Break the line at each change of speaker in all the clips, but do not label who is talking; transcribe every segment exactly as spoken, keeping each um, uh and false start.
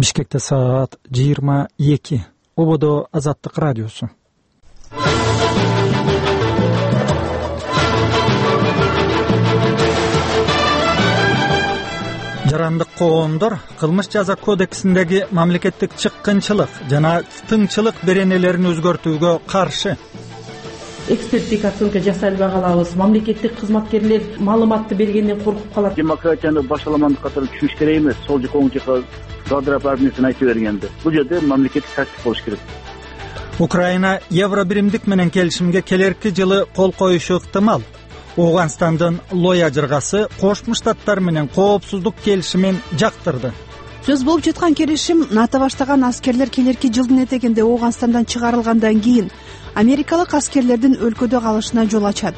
Бишкекте саат жыйырма эки. Ободо Азаттык радиосу. Жарандык коомдор кылмыш жаза кодексиндеги мамлекеттик чыккынчылык жана тыңчылык беренелерин өзгөртүүгө каршы.
Эксперттик оценка жасай албагалабыз. Мамлекеттик кызматкерлер маалыматты бергенден коркуп калат.
Демократияны башаламандык катары түшүнүш керек эмес. Сол жака оң жака квадрат армиясын айтып бергенде. Бул жерде мамлекеттик тартип болуш керек.
Украина евро биримдик менен келишимге келерки жылы кол коюшу ыктымал. Ооганстандын Лоя жыргасы Кошмо Штаттар менен коопсуздук келишимин жактырды.
Сөз болуп жаткан келишим НАТО баштаган аскерлер келерки жылдын этегинде Ооганстандан чыгарылгандан кийин америкалык аскерлердин өлкөдө калышына жол ачат.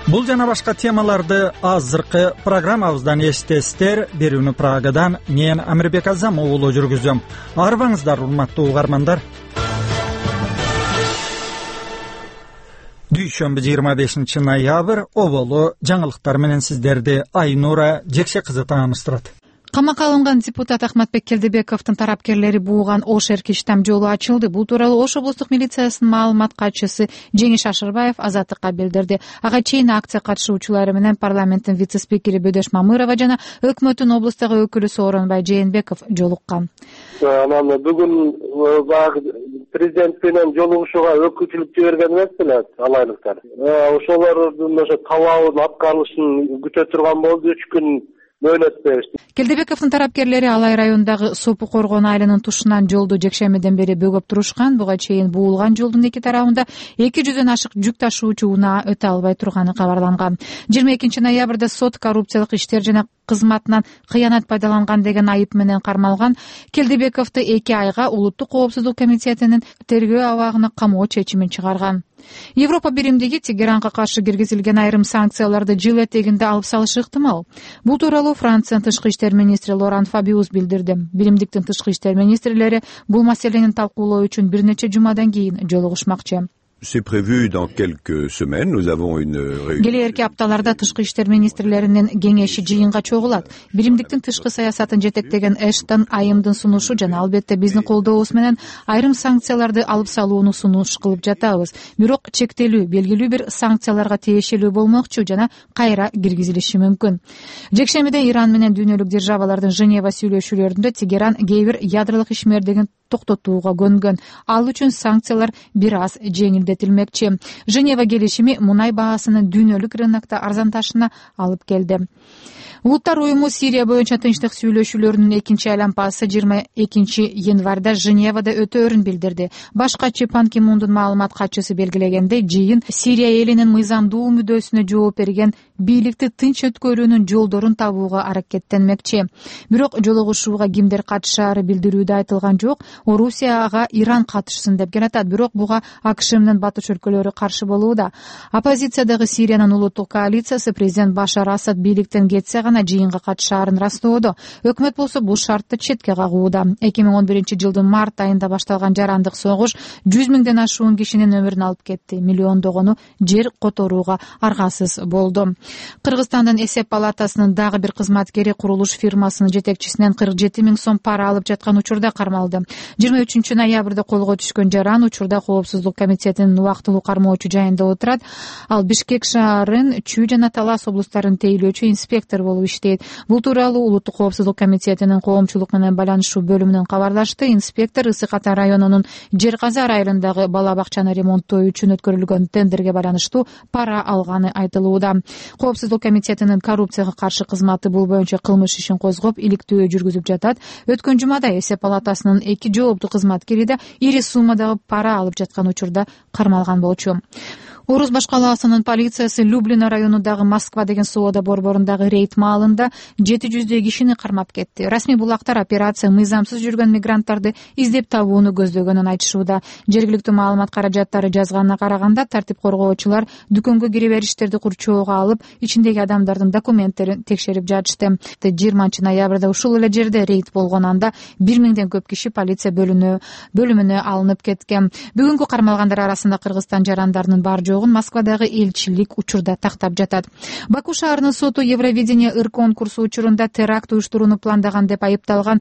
Бул жана башка темаларды азыркы программабыздан эстесиздер. Берүүнү Прагадан мен Амирбек Азам уулу жүргүзөм. Арбаңыздар, урматтуу угармандар. Дүйшөмбү жыйырма бешинчи ноябрь оболу жаңылыктар менен сиздерди Айнура Жекше кызы тааныштырат.
Камакка алынган депутат Ахматбек Келдебековдун тарапкерлери бууган Ош Эркиштам жолу ачылды. Бул тууралуу Ош облустук милициясынын маалымат катчысы Жеңиш Ашырбаев Азаттыкка билдирди. Ага чейин акция катышуучулары менен парламенттин вице-спикери Бөдөш Мамырова жана өкмөттүн облустагы өкүлү Сооронбай Жээнбеков жолуккан.
Анан бүгүн баягы президент менен жолугушууга өкүлчүлүк жиберген эмеспи алайлыктар. Ошолордун ошо талабын аткарылышын күтө турган болду. Үч күн мөөнөт беришти.
Келдебековдун тарапкерлери Алай районундагы Сопу Коргон айылынын тушунан жолду жекшемиден бери бөгөп турушкан. Буга чейин буулган жолдун эки тарабында эки жүздөн ашык жүк ташуучу унаа өтө албай турганы кабарланган. жыйырма экинчи ноябрда сот коррупциялык иштер жана кызматынан кыянат пайдаланган деген айып менен кармалган. Келдебековду эки айга Улуттук коопсуздук комитетинин тергөө абагына камоо чечимин чыгарган. Европа биримдиги Тегеранга каршы киргизилген айрым санкцияларды жыл этегинде алып салышы ыктымал. Бул тууралуу Франциянын тышкы иштер министри Лоран Фабиус билдирди. Биримдиктин тышкы иштер министрлери бул маселени талкуулоо үчүн бир нече жумадан кийин жолугушмакчы.
C'est prévu dans quelques semaines. Nous avons une réunion.
Келерки апталарда тышкы иштер министрлеринин кеңеши жыйынга чогулат. Биримдиктин тышкы саясатын жетектеген Эштон айымдын сунушу жана албетте биздин колдообуз менен айрым санкцияларды алып салууну сунуш кылып жатабыз. Бирок чектелүү, белгилүү бир санкцияларга тиешелүү болмокчу жана кайра киргизилиши мүмкүн. Жекшемиде Иран менен дүйнөлүк державалардын Женева сүйлөшүүлөрүндө Тегеран кээ бир ядролук ишмердигин токтотууга көнгөн. Ал үчүн санкциялар бир аз жеңилдетилмекчи. Женева келишими мунай баасынын дүйнөлүк рынокто арзанташына алып келди. Улуттар уюму Сирия боюнча тынчтык сүйлөшүүлөрүнүн экинчи айланпасы жыйырма экинчи январда Женевада өтөөрүн билдирди. Баш катчы Пан Ки Мундун маалымат катчысы белгилегендей, жыйын Сирия элинин мыйзамдуу мүддөсүнө жооп берген бийликти тынч өткөрүүнүн жолдорун табууга аракеттенмекчи. Бирок жолугушууга кимдер катышаары билдирүүдө айтылган жок. Орусия ага Иран катышсын деп келатат, бирок буга АКШ менен батыш өлкөлөрү каршы болууда. Оппозициядагы Сириянын улуттук коалициясы президент Башар Асад бийликтен кетсе гана жыйынга катышаарын растоодо. Өкмөт болсо бул шартты четке кагууда. эки миң он биринчи жылдын март айында башталган жарандык согуш жүз миңден ашуун кишинин өмүрүн алып кетти. Миллиондогону жер которууга аргасыз болду. Кыргызстандын эсеп палатасынын дагы бир кызматкери курулуш фирмасынын жетекчисинен кырк жети миң сом пара алып жаткан учурда кармалды. жыйырма үчүнчү ноябрда колго түшкөн жаран учурда коопсуздук комитетинин убактылуу кармоочу жайында отурат. Ал Бишкек шаарын, Чүй жана Талас облустарын тейлөөчү инспектор болуп иштейт. Бул тууралуу Улуттук коопсуздук комитетинин коомчулук менен байланышуу бөлүмүнөн кабарлашты. Инспектор Ысык Ата районунун Жер Казар айылындагы бала бакчаны ремонттоо үчүн өткөрүлгөн тендерге байланыштуу пара алганы айтылууда. Коопсуздук комитетинин коррупцияга каршы кызматы бул боюнча кылмыш ишин козгоп, иликтөө жүргүзүп жатат. Өткөн жумада эсеп палатасынын эки жооптуу кызматкери да ири суммадагы пара алып жаткан учурда кармалган болчу. Орус баш калаасынын полициясы Люблино районундагы Москва деген соода борборундагы рейд маалында жети жүздөй кишини кармап кетти. Расмий булактар операция мыйзамсыз жүргөн мигранттарды издеп табууну көздөгөнүн айтышууда. Жергиликтүү маалымат каражаттары жазганына караганда, тартип коргоочулар дүкөнгө кире бериштерди курчоого алып, ичиндеги адамдардын документтерин текшерип жатышты. жыйырманчы ноябрда ушул эле жерде рейд болгон, анда бир миңден көп киши полиция бөлүнө бөлүмүнө алынып кеткен. Бүгүнкү кармалгандар арасында Кыргызстан жарандарынын бар Москвадагы элчилик учурда тактап жатат. Баку шаарынын соту Евровидение ыр конкурсу учурунда теракт уюштурууну пландаган деп айыпталган